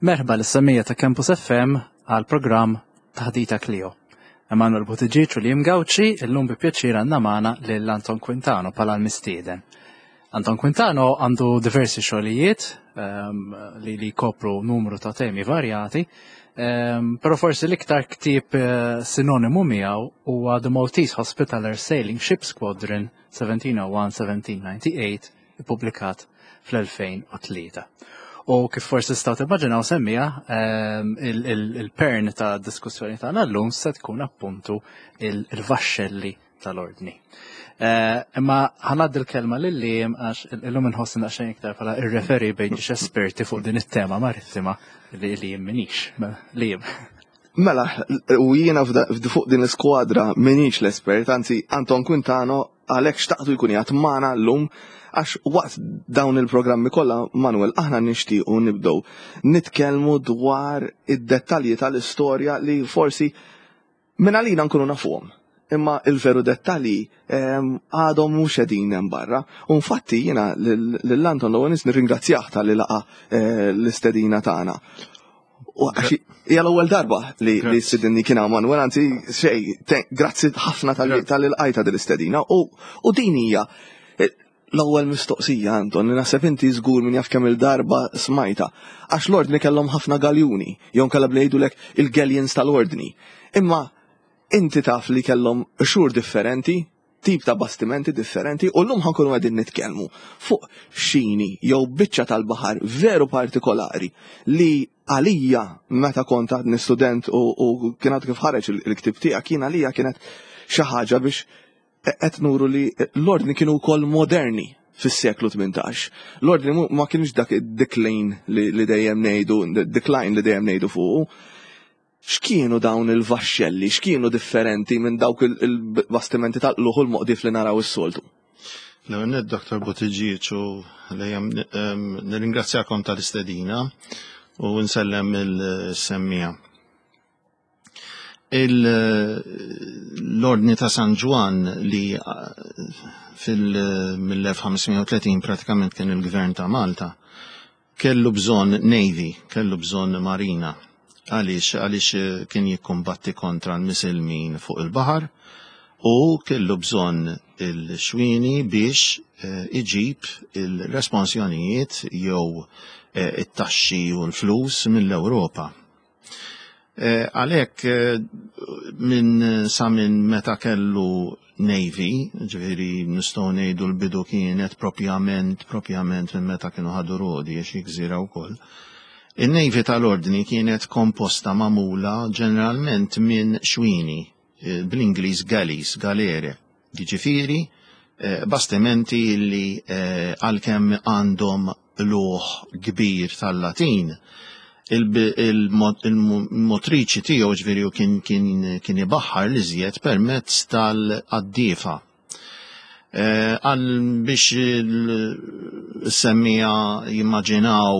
Merħba lis-semmiegħa ta' Campus FM għal programm Taħdita Clio. Emanuel Buttigieg u Liam Gauci illum bi pjaċir għandna magħna lil Anton Quintano bħala l-mistieden. Anton Quintano għandu diversi xogħlijiet um, li li jkopru numru ta' temi varjati, um, però forsi l-iktar ktieb uh, sinonimu miegħu huwa The Maltese Hospitaller Sailing Ship Squadron 1701-1798 ippubblikat fl-2003. U kif forsi staw timmaġinaw semmija, ehm, il-pern ta' diskussjoni tagħna llum se tkun appuntu il-vaxxelli tal-ordni. Eh, imma ħanaddi l-kelma lil lim għax illum inħoss naqxejn iktar bħala irreferi bejn ġiex esperti fuq din it-tema marittima li li jien minix. Mela, Lim. Mela, u jiena fuq din l-iskwadra minix l-espert, anzi Anton Quintano għalhekk xtaqtu jkun jgħat magħna llum għax waqt dawn il-programmi kollha Manuel aħna nixtiequ nibdew nitkellmu dwar id-dettalji tal-istorja li forsi minn għalina nkunu nafuhom. Imma il-veru dettalji ehm, għadhom mhux qegħdin hemm barra. U infatti jiena lil Anton l-ewwel nirringrazzjah tal-li laqa eh, l-istedina tagħna. U għax hija l-ewwel darba li li stedinni kien hawn Manuel, anzi xej, grazzi ħafna tal-ilqajta din l-istedina. U din hija eh, l-ewwel mistoqsija Anton li naħseb inti żgur min jaf kemm il-darba smajta. Għax l-ordni kellhom ħafna galjuni, jew nkella bli il-galleons tal-ordni. Imma inti taf li kellhom xhur differenti, tip ta' bastimenti differenti u llum ħankunu qegħdin nitkellmu fuq xini jew biċċa tal-baħar veru partikolari li għalija meta kont għadni student u, u kien għadu kif ħareġ il-ktib tiegħek kien għalija kienet xi ħaġa biex qed nuru li l-ordni kienu wkoll moderni fis-seklu 18. L-ordni ma kienx dak id-decline li dejjem ngħidu, decline li dejjem ngħidu fuqu. X'kienu dawn il-vaxxelli? X'kienu differenti minn dawk il-bastimenti tal-qluħ u l-moqdif li naraw is-soltu? L-ewwel nett Dr. Buttigieg u lejjem nirringrazzjakom tal-istedina u nsellem il-semmija. L-Ordni ta' San Ġwann li fil-1530 pratikament kien il-gvern ta' Malta, Kellu bżonn navy, kellu bżonn marina. Għaliex? Għaliex eh, kien jikkumbatti kontra l-Misilmin fuq il-baħar u kellu bżonn il-xwieni biex eh, iġib il-responsjonijiet jew eh, it-taxxi u l-flus mill-Ewropa. Eh, għalhekk eh, minn sa minn meta kellu Navy, ġifieri nistgħu ngħidu l-bidu kienet propjament propjament minn meta kienu ħadu Rodi għax gżira wkoll. In-Navy tal-Ordni kienet komposta magħmula ġeneralment minn xwini, eh, bl-Ingliż galleys, galere. Jiġifieri eh, bastimenti li eh, għalkemm għandhom luħ kbir tal-Latin, il-motriċi tiegħu ġifieri kien kien ibaħħar li żjed permezz tal-qaddiefa. Eh, għal biex il-semmija jimmaġinaw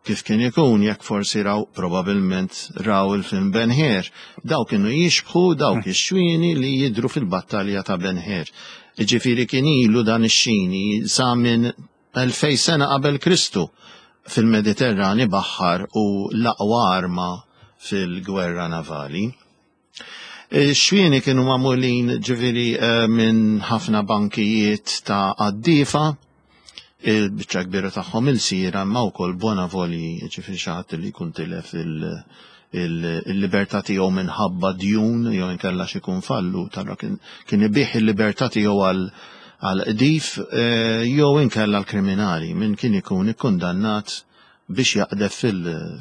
kif kien ikun jekk forsi raw probabilment raw il-film Ben Hur. Daw kienu jixbħu dawk ix-xwieni li jidru fil-battalja ta' Ben Hur. Ġifieri kien ilu dan ix-xini sa minn 2000 sena qabel Kristu fil-Mediterran ibaħħar u l-aqwa arma fil-gwerra navali. Ix-xwieni kienu magħmulin ġifieri eh, minn ħafna bankijiet ta' qaddiefa, il-biċċa kbira tagħhom il-sira imma wkoll bonavoli, ġifieri xi ħadd li jkun tilef il-libertà tiegħu minħabba djun jew inkella xi jkun fallu, tara kien ibih il-libertà tiegħu għal għal qdif eh, jew inkella l-kriminali minn kien ikun ikkundannat biex jaqdef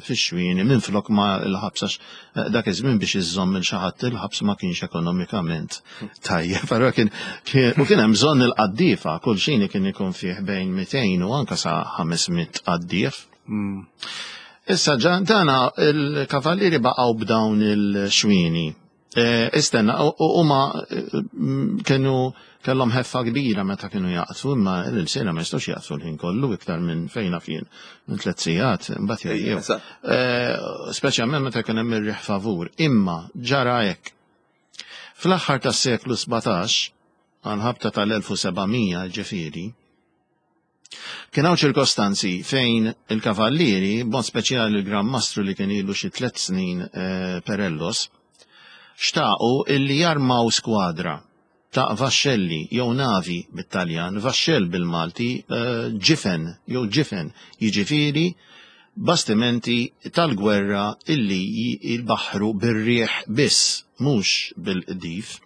fix-xwieni minflok ma l-ħabs għax eh, dak iż-żmien biex iżżomm il xi ħadd il-ħabs ma kienx ekonomikament tajjeb. Allura kien u kien hemm bżonn il-qaddiefa, kull xini kien ikun fih bejn 200 u anke sa 500 qaddief. Mm. Issa dana il-kavallieri baqgħu b'dawn il-xwieni. Eh, istenna, huma eh, kienu kellhom ħeffa kbira meta kienu jaqtfu, imma l-sena ma jistgħux jaqtfu l-ħin kollu iktar minn fejn fien minn tliet sigħat, imbagħad jgħajjew. Eh, speċjalment meta kien hemm ir-riħ favur, imma ġara hekk. Fl-aħħar tas-seklu 17, għal ħabta tal-1700 ġifieri, Kien hawn ċirkostanzi fejn il-kavallieri, b'mod speċjali il-Gran Mastru li kien ilu xi tliet snin eh, Perellos, xtaqu illi jarmaw skwadra ta' vaxxelli jew navi bit-Taljan, vaxxell bil-Malti, eh, ġifen jew ġifen, jiġifieri bastimenti tal-gwerra illi jbaħħru bir-riħ biss, mhux bil-qdif.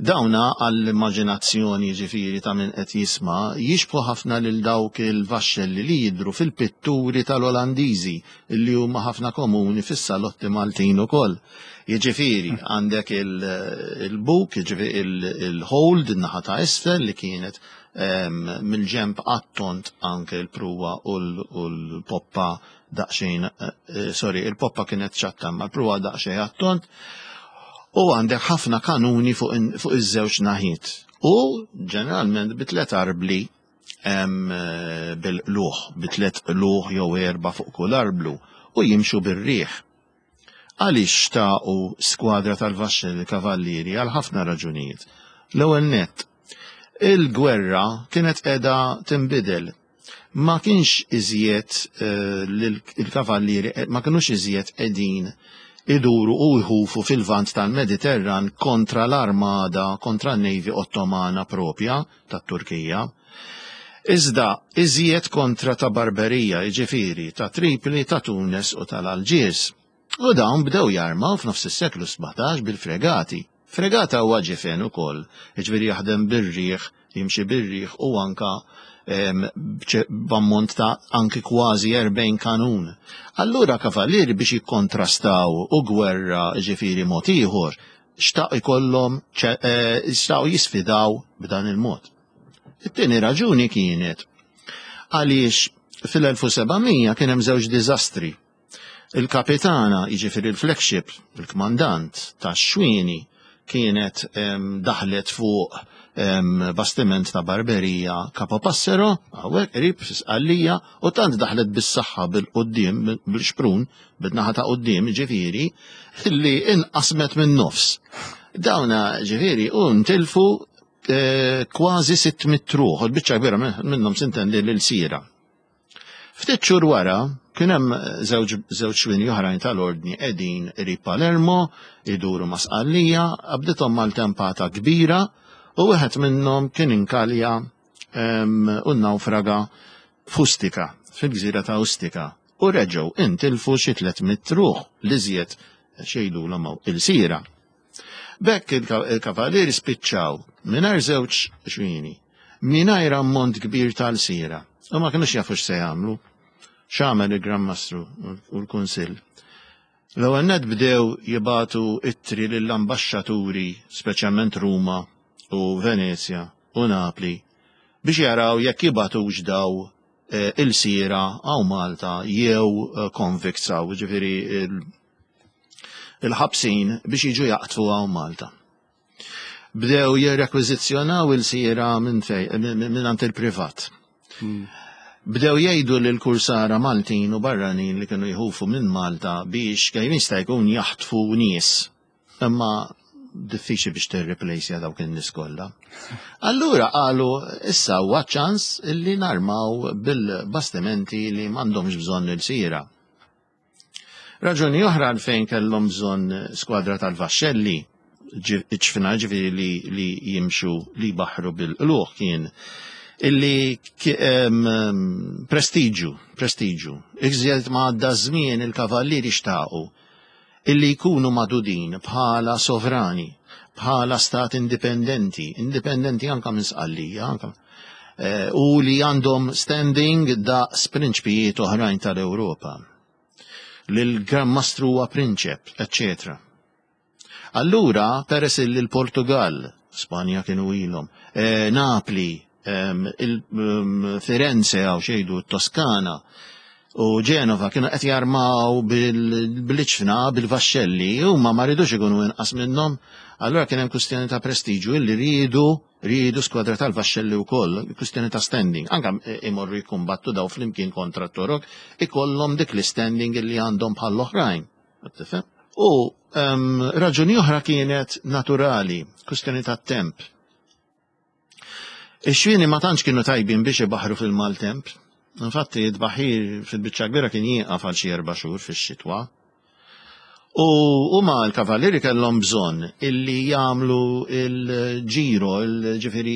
Dawna għall-immaġinazzjoni jiġifieri ta' min qed jisma' jixbħu ħafna lil dawk il-vaxxelli li jidhru fil-pitturi tal-Olandiżi li huma ħafna komuni fis-salotti Maltin ukoll. Jiġifieri għandek il-buk, jiġifieri il-hold in-naħa ta' isfel li kienet mill-ġenb għat-tont anke l-pruwa u l-poppa daqsxejn, eh, sorry, il-poppa kienet ċatta ma l-pruwa daqsxejn għat-tont, u għandek ħafna kanuni fuq iż-żewġ naħiet. U ġeneralment bi tliet arbli eh, bil-qluħ, bi tliet qluħ jew erba' fuq kull arblu u jimxu bir-riħ. Għaliex xtaqu skwadra tal-vaxxelli kavallieri għal ħafna raġunijiet. L-ewwel nett, il-gwerra kienet qiegħda tinbidel ma kienx iżjed eh, il-kavallieri eh, ma kinux iżjed qegħdin iduru u jħufu fil-vant tal-Mediterran kontra l-armada, kontra n-Navy Ottomana propja tat-Turkija. Iżda iżjed kontra ta' Barberija, jiġifieri ta' Tripli, ta' Tunes u tal-Alġiers. U dawn bdew jarmaw f'nofs is-seklu 17 bil-fregati. Fregata huwa ġifen ukoll, jiġifieri jaħdem bir-riħ, jimxi bir-riħ u anka b'ammont ta' anki kważi 40 kanun. Allura kavallieri biex jikkontrastaw u gwerra ġifieri mod ieħor, xtaq ikollhom eh, xtaqu jisfidaw b'dan il-mod. It-tieni raġuni kienet għaliex fil-1700 kien hemm żewġ diżastri Il-kapitana, jiġifieri l-flagship, il-kmandant tax-xwieni kienet daħlet fuq bastiment ta' Barberija Capo Passero, hawnhekk qrib fi Sqallija, u tant daħlet bis-saħħa bil-quddiem, bil-xprun, bin-naħa ta' quddiem, ġifieri, li inqasmet min-nofs. Dawna ġifieri u ntilfu eh, kważi 600 ruħ, il-biċċa kbira minnhom sintendi l-sira. Ftit xhur wara, kien hemm żewġ żewġ xwieni oħrajn tal-Ordni qegħdin qrib Palermo, iduru ma' Sqallija, qabdithom maltempata kbira u wieħed minnhom kien inkalja u nnawfraga f'Ustica, fil-gżira ta' Ustica, u reġgħu intilfu xi 300 ruħ l-iżjed x'jgħidulhom hawn ilsira. B'hekk il-Kavalieri spiċċaw mingħajr żewġ xwieni, mingħajr ammont kbir ta' lsiera, u ma kinux jafu x'se jagħmlu. X'għamel il-Gran Mastru u l-Kunsill? L-ewwel nett bdew jibagħtu ittri lill-ambaxxaturi, speċjalment Ruma u Venezja u Napli, biex jaraw jekk jibagħtux daw eh, ilsiera hawn Malta jew eh, convicts hawn, ġifieri il-ħabsin biex jiġu jaqtfu hawn Malta. Bdew jirrekwiżizzjonaw il-sira minn minn il-privat. Bdew jgħidu lil kursara Maltin u barranin li kienu jħufu minn Malta biex kemm jista' jkun jaħtfu nies. Imma diffiċli biex tirreplejsja dawk in-nies kollha. Allura qalu issa huwa ċans illi narmaw bil-bastimenti li m'għandhomx bżonn il-sira. Raġuni oħra għalfejn kellhom bżonn skwadra tal-vaxxelli ċfina ġifieri li, li jimxu li jbaħħru bil-qluħ kien illi prestiġu, prestiġu. Iżjed ma għadda żmien il-kavallieri xtaqu illi jkunu magħdudin bħala sovrani, bħala stat indipendenti, indipendenti anka minn Sqallija, anka eh, u li għandhom standing daqs prinċpijiet oħrajn tal-Ewropa. Li l-Gran Mastru huwa prinċep, eccetera. Allura, peress li l-Portugal, Spanja kienu ilhom, eh, Napli, mm, Firenze għaw xejdu Toskana u Ġenova kienu qed jarmaw bil-ċfna, bil-vaxxelli, huma ma ridux ikunu inqas minnhom, allura kien hemm kwistjoni ta' prestiġu illi riedu Riedu skwadra tal-vaxxelli wkoll, kwistjoni ta' standing. Anka imorru jikkumbattu daw flimkien kontra t-Torok, ikollhom dik l-standing li għandhom bħall-oħrajn. Tifhem? U um, raġuni oħra kienet naturali, kwistjoni ta' temp. Ix-xwieni ma tantx kienu tajbin biex ibaħħru fil-maltemp. Infatti, it-tbaħħir fil-biċċa kbira kien jieqaf għal xi erba' xhur fix-xitwa. U huma l-kavallieri kellhom bżonn illi jagħmlu il-ġiro, ġifieri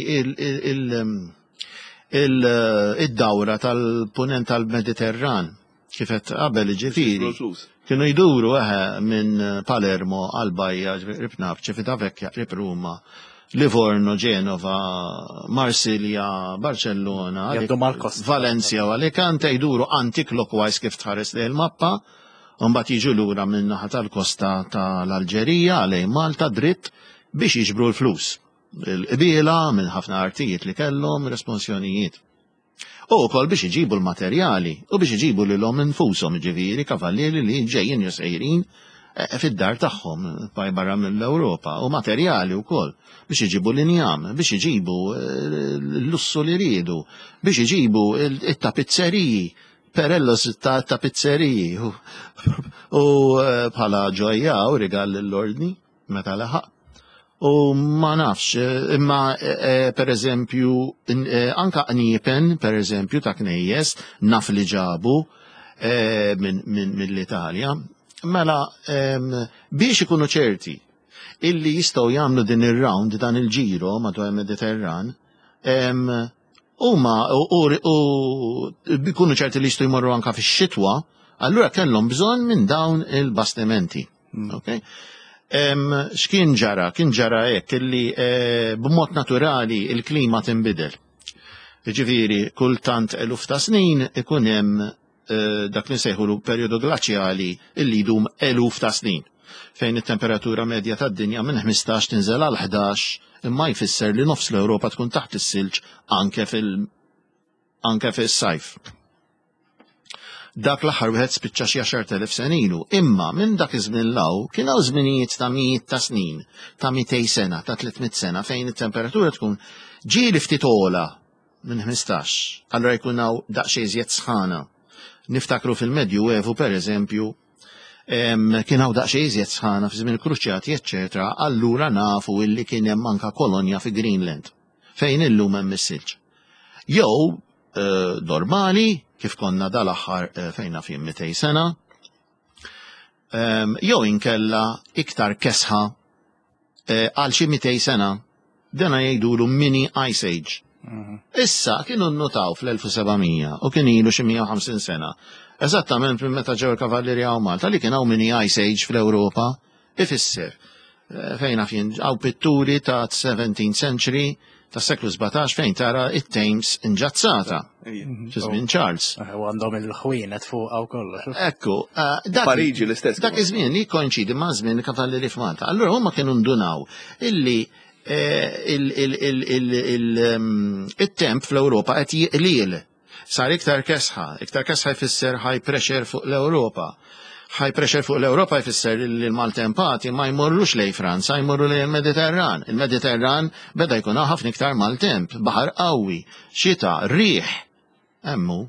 id-dawra tal-punent tal-Mediterran, kif qed qabel ġifieri. Kienu jduru eħe minn Palermo għal Bajja, qrib Napċi, Civitavecchia, qrib Ruma, Livorno, Genova, Marsilja, Barcellona, Valencia u Alicante jduru anti-clockwise kif tħares lejn il-mappa, u mbagħad jiġu lura minn naħa tal-kosta tal-Alġerija lejn Malta dritt biex jiġbru l-flus. Il-qbiela minn ħafna artijiet li kellhom, responsjonijiet. U wkoll biex iġibu l-materjali u biex iġibu lilhom infushom, jiġifieri kavallieri li ġejjin jew sejrin eh, fid-dar tagħhom baj barra mill-Ewropa u materjali wkoll biex iġibu l-injam, biex iġibu eh, l-lussu li riedu, biex iġibu it-tapizzeriji, perellos ta' tapizzeriji u eh, bħala ġojja u rigal l-ordni meta laħaq. U ma nafx, eh, imma eh, per eżempju, anka qniepen, per eżempju, ta' knejjes, naf li ġabu mill-Italja. Mela, biex ikunu ċerti illi jistgħu jagħmlu din ir-round dan il-ġiro madwar il-Mediterran, huma u jkunu ċerti li jistgħu jmorru anka fix-xitwa, allura kellhom bżonn minn dawn il-bastimenti. Okay? X'kien ġara? Kien ġara hekk illi eh, b'mod naturali il-klima tinbidel. Ġifieri kultant eluf ta' snin ikun hemm eh, dak li nsejħulu perjodu glaċjali illi jdum eluf ta' snin fejn it-temperatura medja tad-dinja minn 15 tinżel għal 11 imma jfisser li nofs l-Ewropa tkun taħt is-silġ anke fil anke fis-sajf. Dak l-aħħar wieħed spiċċa xi 10,000 sena ilu, imma minn dak iż-żmien law kien hawn żminijiet ta' mijiet ta' snin, ta' 200 sena, ta' 300 sena fejn it-temperatura tkun ġieli ftit ogħla minn 15, allura jkun hawn daqsxejn iżjed sħana. Niftakru fil-Medju Evu pereżempju, kien hawn daqsxejn iżjed sħana fi żmien il-Kruċjati, eċċetera, allura nafu illi kien hemm anka kolonja fi Greenland fejn illum hemm is-silġ. Jew eh, normali, kif konna dal-aħħar eh, fejn naf jien 200 sena, ehm, jew inkella iktar kesħa eh, għal xi 200 sena, dana jgħidulu mini ice age. Mhm. Issa kienu nnotaw fl-1700 u kien ilu xi 150 sena. Eżattament minn meta ġew il-kavallieri hawn Malta li kien hawn mini ice age fl-Ewropa Ifisser, eh, fejn naf jien hawn pitturi ta' 17th century ta' seklu 17 fejn tara it-Thames inġazzata. Fi żmien Charles. Eh, u għandhom il-ħwienet fuq għaw kollox. Ekku, eh, Pariġi l-istess. Dak iż-żmien li jkoinċidi ma' żmien il-kavallieri f'Malta. Allura huma kienu ndunaw illi il-temp fl-Ewropa qed jiqliel. Sar iktar kesħa, iktar kesħa jfisser high pressure fuq l-Ewropa. High pressure fuq l-Ewropa jfisser li l-maltempati ma jmorrux lej Franza, jmorru lej il-Mediterran. Il-Mediterran beda jkun ħafna iktar maltemp, baħar qawwi, xita, riħ. Emmu,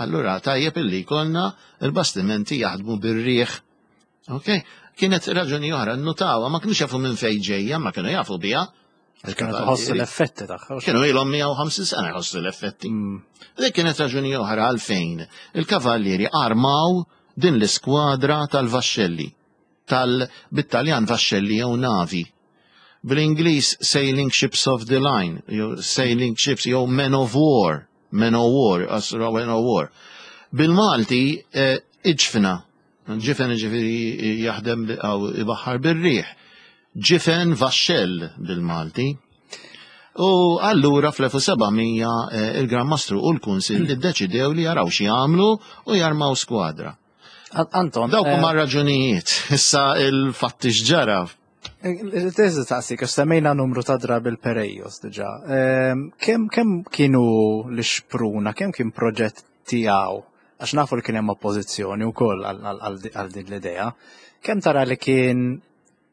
allura tajjeb illi jkollna il-bastimenti jaħdmu bir-riħ. Ok? Kienet raġuni oħra, nnutawha, ma kienux jafu minn fejn ġejja, ma kienu jafu biha. Kienu tħossu l-effetti tagħha. Kienu ilhom 150 sena jħossu l-effetti. Mm. Dik kienet raġuni oħra għalfejn il-kavallieri armaw din l-iskwadra tal-vaxxelli, tal bit-Taljan vaxxelli jew navi. Bl-Ingliż sailing ships of the line, jew sailing ships jew men of war, men of war, men of war. Bil-Malti eh, iġfna, Ġifen ġifiri jaħdem għaw ibaħħar bir-riħ. Ġifen vaxxell bil-Malti. U allura fl-1700 eh, il-Gran Mastru u l-Kunsil iddeċidew li jaraw xi jagħmlu u jarmaw skwadra. Anton. Dawk huma eh, raġunijiet. Issa il-fatti x'ġara. Eh, Teżi taqsik, għax semmejna numru ta' drabi l-Perejos diġà. Ehm, kemm kemm kienu l-xpruna, kemm kien proġett tiegħu għax nafu li kien hemm oppożizzjoni wkoll għal din l-idea. Kemm tara li kien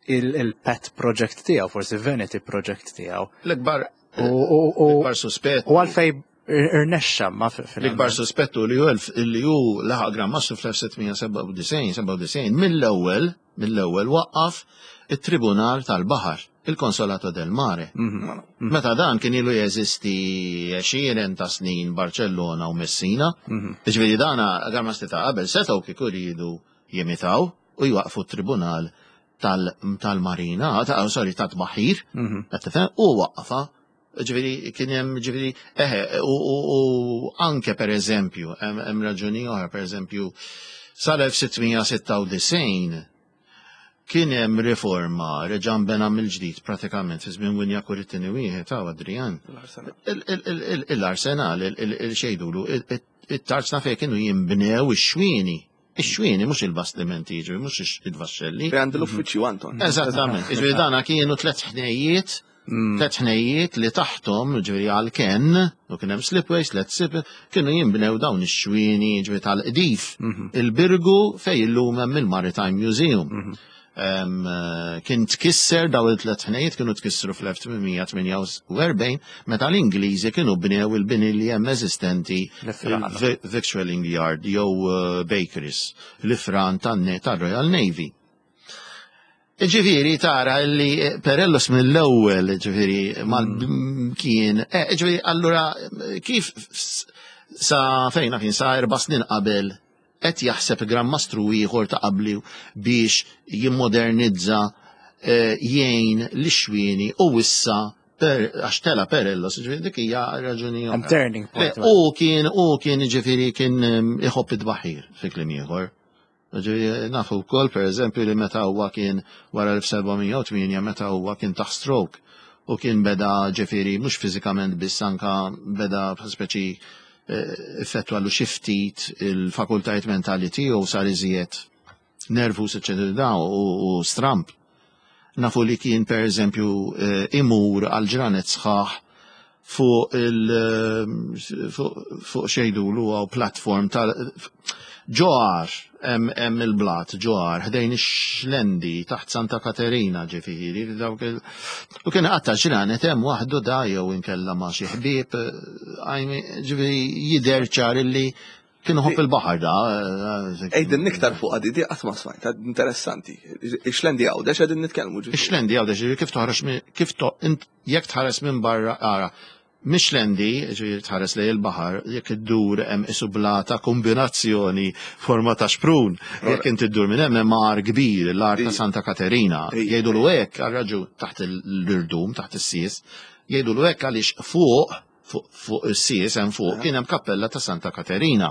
il-pet project tiegħu, forsi vanity project tiegħu. L-ikbar l-ikbar suspett. U għalfej irnexxa ma L-ikbar suspettu li hu li hu laħaq Gran Mastru fl-1797 97 mill-ewwel mill-ewwel waqqaf it-Tribunal tal-Baħar. il-Consolato del Mare. Meta dan kien ilu jeżisti għexieren ta' snin Barcellona u Messina. Ġifieri dana Gran Mastri ta' qabel setgħu kieku riedu jimitaw u jwaqfu t-tribunal tal-marina, ta' sorry, ta' tbaħħir, qed tifhem, u waqqafha. Ġifieri kien hemm ġifieri eħe u anke pereżempju hemm raġuni oħra, pereżempju sal-1696 kien hemm riforma reġa' nbena mill-ġdid pratikament fi żmien Winjakur it-tieni wieħed hawn Adrian. L-arsenal, il-xejdulu, it-tarzna fejn kienu jinbnew ix-xwieni. Ix-xwieni mhux il-bastimenti jiġri, mhux il-vaxxelli. Fejn għand l-uffiċċju Anton. Eżattament. Jiġri dana kienu tlet ħnejjiet, tlet ħnejjiet li taħtom, ġifieri għal-ken, u kien hemm slipways, tlet slip, kienu jinbnew dawn ix-xwieni ġifieri tal-qdif. Il-Birgu fejn illum hemm il-Maritime Museum. Kien tkisser daw il-tlet ħnejjiet kienu tkissru fl-1848 meta l-Ingliżi kienu bnew il-bini li hemm eżistenti il-Victualling Yard jew Bakeries, l-ifran tan-Royal Navy. Ġifieri tara li Perellus mill-ewwel ġifieri mal kien, ġifieri allura kif sa fejna kien sa 4 snin qabel qed jaħseb Gran Mastru ieħor ta' qabli biex jimmodernizza jgħin lix-xwieni u issa għax tela Perellos, ġifieri dik hija raġuni oħra. Turning point. U kien, u kien ġifieri kien iħobb it-tbaħħir fi kliem ieħor. Ġifieri nafu wkoll pereżempju li meta huwa kien wara 1708 meta huwa kien taħ stroke u kien beda ġifieri mhux fiżikament biss anka beda speċi effettwalu xi ftit il-fakultajiet mentali tiegħu sar iżjed nervus eċetera u stramp. Nafu li kien per eżempju imur għal ġranet sħaħ fuq il fuq xejdulu għaw platform tal ġoħar hemm il-blat ġoħar ħdejn ix-Xlendi taħt Santa Katerina ġifieri dawk il u kien qatta ġranet hemm waħdu da jew inkella ma' xi ħbieb ġifieri jidher ċar illi kien iħobb il-baħar da. Ejdin iktar fuq għadi, di qatt ma smajt, interessanti. Ix-Xlendi Għawdex qegħdin nitkellmu ġifieri. Ix-Xlendi Għawdex ġifieri kif toħroġ kif jekk tħares minn barra ara. Mix-Xlendi, ġifieri tħares lejn il-baħar, jekk iddur hemm isu blata kombinazzjoni forma ta' xprun. Jekk inti ddur minn hemm hemm għar kbir, l-għar ta' Santa Katerina. Jgħidulu hekk għal raġun taħt l-irdum, taħt is-sies, jgħidulu hekk għaliex fuq fuq is-sies hemm fuq kien hemm kappella ta' Santa Katerina.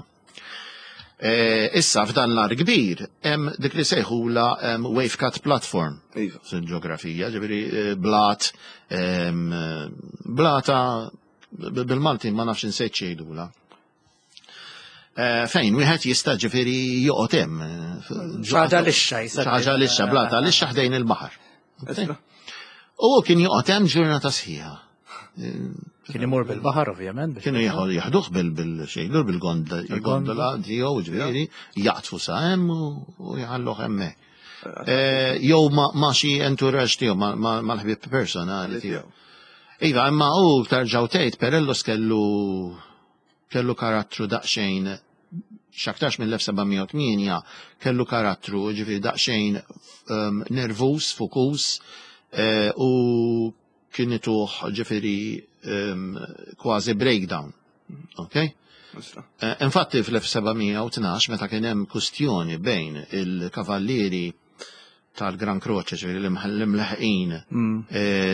Issa f'dan l-għar kbir hemm dik li sejħula wave cut platform fil-ġeografija, ġifieri blat blata bil-Malti ma nafx insejt x'jgħidula. Fejn wieħed jista' ġifieri joqgħod hemm. Ħaġa lixxa jista' Ħaġa lixxa, blata lixxa ħdejn il-baħar. U kien joqgħod hemm ġurnata sħiħa. Kien imur bil-baħar ovvjament. Kienu jaħduh bil-xejdur, bil-gondola tiegħu ġifieri, jaqtfu sa hemm u jħalluh hemmhekk. Jew ma' xi entourage tiegħu, mal-ħbieb personali tiegħu. Iva, imma hu terġgħu tgħid Perellus kellu karattru daqsxejn x'aktarx mill-1708 kellu karattru ġifieri daqsxejn nervus, fokus, u kien ituh ġifieri kważi breakdown. Ok? Infatti fl-1712 meta kien hemm kustjoni bejn il-kavallieri tal-Gran Croce, ġifieri l-imleħqin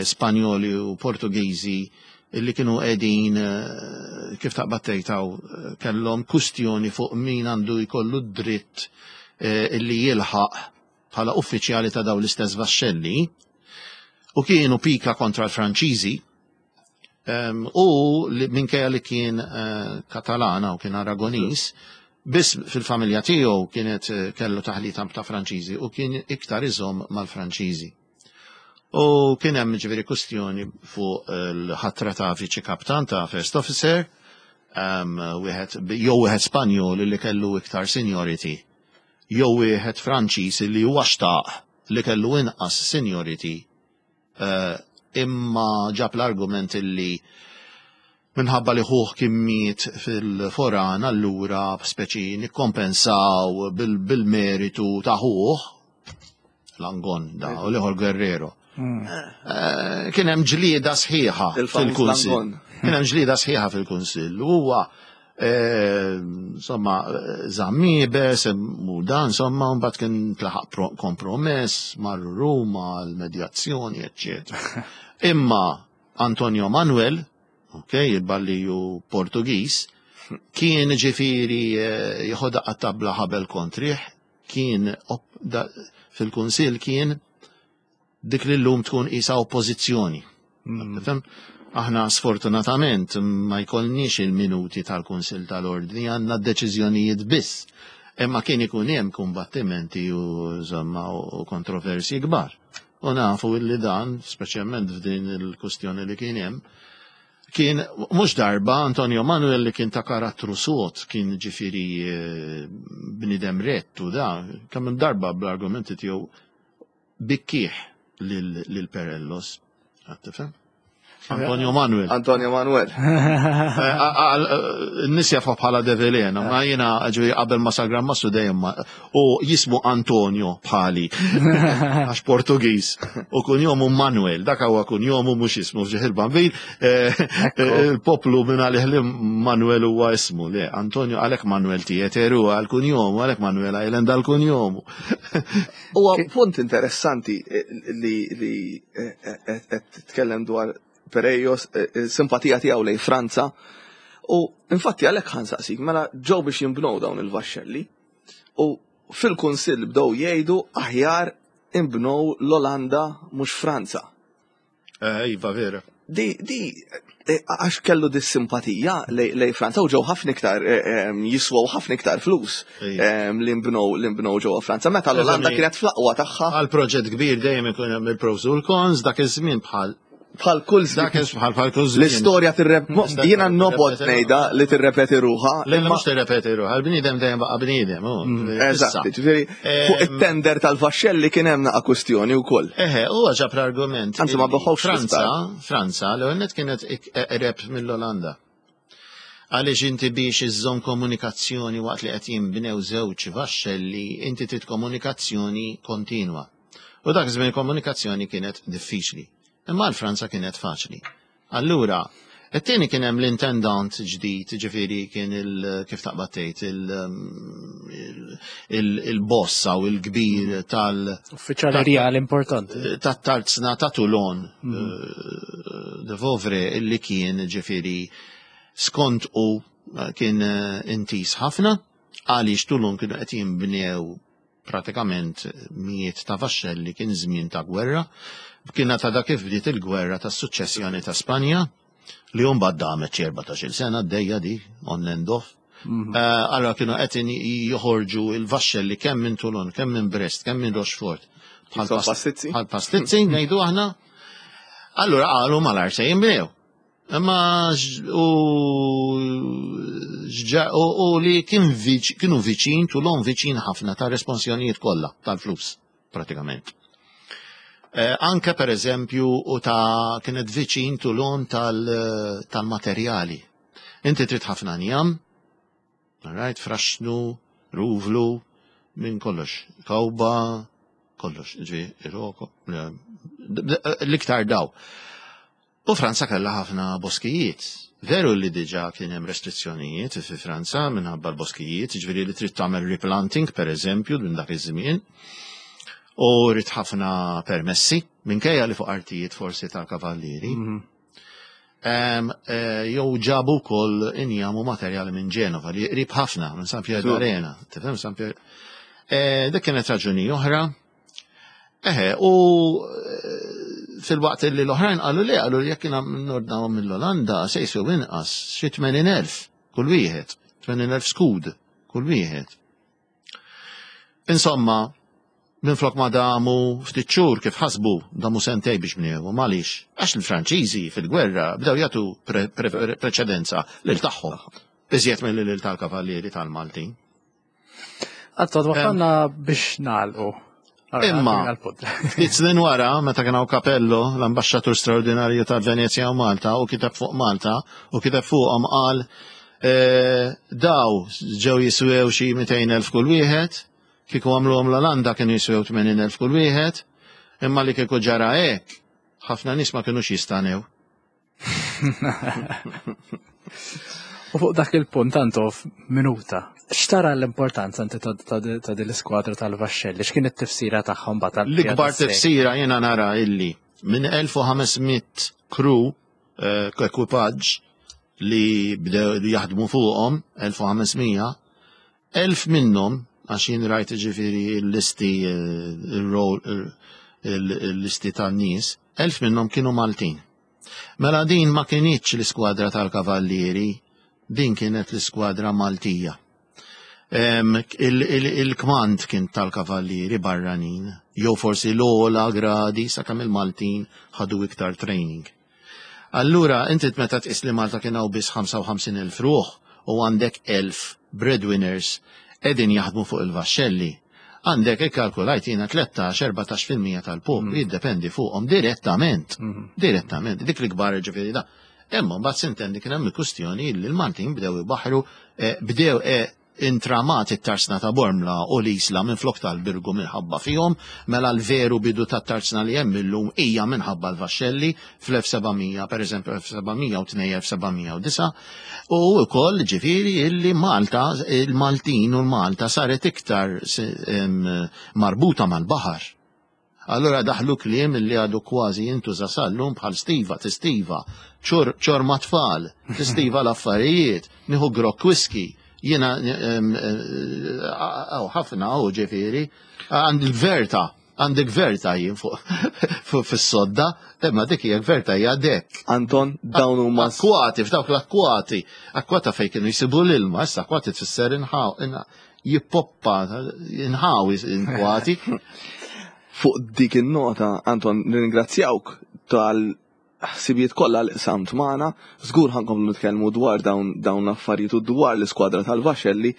Spanjoli u Portugiżi illi kienu qegħdin kif taqbad tgħid kellhom kustjoni fuq min għandu jkollu d-dritt illi jilħaq bħala uffiċjali ta' dawn l-istess vaxxelli u kienu pika kontra l-Franċiżi u minkejja li kien Katalana u kien Aragonis, biss fil-familja tiegħu kienet kellu taħlita ta' Franċiżi u kien iktar iżomm mal-Franċiżi. U kien hemm ġifieri kustjoni fuq l-ħatra ta' viċi kaptan ta' first officer, wieħed jew wieħed Spanjol li kellu iktar seniority, jew wieħed Franċiż li huwa xtaq li kellu inqas seniority, imma ġab l-argument illi minħabba li ħuh kien miet fil-foran, allura speċi nikkompensaw bil-meritu ta' ħuh, Langon da, u l-ieħor Guerrero. Kien hemm ġlieda sħiħa fil-Kunsill. Kien hemm ġlieda sħiħa fil-Kunsill. Huwa insomma żammibes u dan insomma mbagħad kien tlaħaq kompromess marru Ruma l-medjazzjoni eċċetera. Imma Antonio Manuel, ok, il-balliju Portugiż, kien ġifieri jieħodha tabla ħabel kontrih, kien fil-Kunsill kien dik li llum tkun isa oppożizzjoni. Tifhem? Aħna sfortunatament ma jkollniex il-minuti tal-Kunsill tal-Ordni, għandna d-deċiżjonijiet biss. Imma kien ikun hemm kumbattimenti u insomma u kontroversji kbar. U nafu illi dan, speċjalment f'din il-kustjoni li kien hemm, kien mhux darba Antonio Manuel li kien ta' karattru sod, kien ġifieri bniedem rett u da, kemm darba bl-argumenti tiegħu bikkieħ lil Perellos. Tifhem? Antonio Manuel. Antonio Manuel. Nis jafa bħala Develena, ma jena ġvi qabel ma sar Gran Mastru dejjem u jismu Antonio bħali, għax Portugiż, u kunjomu Manuel, dak huwa kunjomu mhux ismu f'ġieħ il-Bambin, il-poplu minn għalih li Manuel huwa ismu, le, Antonio għalhekk Manuel Tieteru għal kunjomu, għalhekk Manuel Island għal kunjomu. Huwa punt interessanti li qed titkellem dwar Perejos, simpatija tiegħu lejn Franza. U infatti għalhekk ħansaqsik, mela ġew biex jinbnew dawn il-vaxxelli u fil-Kunsill bdew jgħidu aħjar inbnew l-Olanda mhux Franza. Iva, vera. Di, di, għax kellu di simpatija lej Franza u ġew ħafna iktar jiswew ħafna iktar flus li nbnew li nbnew ġewwa Franza. Meta l-Olanda kienet fl-aqwa tagħha. Għal proġett kbir dejjem ikun hemm il-pros u l-cons dak iż-żmien bħal bħal kull żmien. Dak bħal bħal kull żmien. L-istorja tirrep jiena nobgħod ngħidha li tirrepeti ruħha. Le mhux tirrepeti ruħha, il-bniedem dejjem baqa' bniedem. Eżatt, ġifieri fuq it-tender tal-vaxxelli kien hemm naqa' kwistjoni wkoll. Eħe, huwa ġab l-argument. Anzi ma beħħux Franza, Franza l-ewwel nett kienet eqreb mill-Olanda. Għaliex inti biex iżżomm komunikazzjoni waqt li qed jinbnew żewġ vaxxelli, inti trid komunikazzjoni kontinwa. U dak iż-żmien komunikazzjoni kienet diffiċli. Imma għal Franza kienet faċli. Allura, it-tieni kien hemm l-intendant ġdid, ġifieri kien il kif taqbad tgħid il-boss aw il-kbir tal Uffiċjali rjali importanti. Tat-tarzna ta' Toulon, de Vovre, illi kien ġifieri skont u kien intiż ħafna għaliex Toulon kienu qed jinbnew pratikament mijiet ta' vaxxelli kien żmien ta' gwerra. Kienet għadha kif bdiet il-gwerra tas-suċċessjoni ta' Spanja li mbagħad damet xi 14-il sena għaddejja di on and off. Allora kienu qed joħorġu il-vaxxelli kemm minn Toulon, kemm minn Brest, kemm minn Rochefort. Bħal pastizzi ngħidu aħna. Allura qalu malar se jinbnew. Imma u u li kien kienu viċin, Toulon viċin ħafna ta' responsjonijiet kollha tal-flus, pratikament. Anke per eżempju u ta' kienet viċin Toulon tal-materjali. Inti trid ħafna njam, right, fraxnu, ruvlu, minn kollox, kawba, kollox, ġvi, iroko, l-iktar daw. U Franza kellha ħafna boskijiet. Veru li diġà kien hemm restrizzjonijiet fi Franza minħabba l-boskijiet, jiġifieri li trid tagħmel replanting pereżempju minn dak iż-żmien. U rrid ħafna permessi, minkejja li fuq artijiet forsi tal-kavallieri. Jew ġabu wkoll injam u materjali minn Ġenova li qrib ħafna minn San Pier d'Arena. Tifhem San Pier. Dik kienet raġuni oħra. Eħe, u fil-waqt li l-oħrajn qalu li qalu li jekk nordnawhom mill-Olanda se jiswew inqas xi 80,000 kull wieħed, 80,000 skud kull wieħed. Insomma, minflok ma damu ftit xhur kif ħasbu damu sentej biex bnewhom għaliex għax il-Franċiżi fil-gwerra bdew jagħtu preċedenza lil tagħhom iżjed milli lil tal-Kavallieri tal-Maltin. Għattod, wasalna biex nagħlqu. Imma, ftit snin wara, meta kien hawn Capello, l-ambaxxatur straordinarju ta' Venezja u Malta, u kiteb fuq Malta, u kiteb fuqhom qal daw ġew jiswew xi 200,000 kull wieħed, kieku għamluhom l-Olanda kienu jiswew 80,000 kull wieħed. Imma li kieku ġara hekk, ħafna nies ma kinux jistanew. U fuq dak il-punt Antof, minuta. X'tara l-importanza inti ta' din l-iskwadra tal-vaxxelli? X'kien it-tifsira tagħhom batal? L-ikbar tifsira jiena nara illi minn 1500 crew eh, ekwipaġġ li bdew li jaħdmu fuqhom 1500, 1000 minnhom għax jien rajt ġifieri l-listi eh, il-listi tan-nies, 1000 minnhom kienu Maltin. Mela din ma kinitx l-iskwadra tal-Kavallieri, din kienet l-iskwadra Maltija. Il-kmand kien tal-Kavallieri barranin, jew forsi l-ogħla gradi sakemm il-Maltin ħadu iktar training. Allura inti meta tqis li Malta kien hawn biss 55,000 ruħ u għandek 1,000 breadwinners qegħdin jaħdmu fuq il-vaxxelli, għandek ikkalkulajt jiena 13-14% tal-poplu mm. jiddependi fuqhom direttament. Mm. Direttament, dik l-ikbar ġifieri da. Imma mbagħad sintendi kien hemm il-kwistjoni li l-Maltin bdew ibaħru eh, bdew eh, intramat it-tarzna ta' Bormla u l-Isla minflok tal-Birgu minħabba fihom, mela l-veru bidu tat-tarzna li hemm illum hija minħabba l-vaxxelli fl-1700, pereżempju 1702-1709, u wkoll ġifieri illi Malta, il-Maltin u l-Malta saret iktar marbuta mal-baħar. Allura daħlu kliem li għadu kważi jintuża sal-lum bħal stiva, tistiva, ċor ma' tfal, tistiva l-affarijiet, nieħu grokk whisky, jiena għaw ħafna u ġifieri, għand il-gverta, għandi gverta jien fuq fis-sodda, imma dik hija gverta hija dek. Anton, dawn huma akkwati, f'dawk l-akkwati, akkwata fejn kienu jsibu l-ilma, issa akkwati tfisser inħaw, jippoppa, inħawi inkwati. Fuq dik in-nota, Anton, nirringrazzjawk tal ħsibijiet kollha li qsamt magħna, żgur ħankomplu nitkellmu dwar dawn dawn l-affarijiet u dwar l-iskwadra tal-Vaxxelli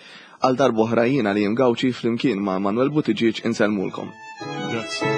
għal darb'oħra jiena li Gawċi flimkien ma' Manuel Buttigieg insellmulkom. Grazzi.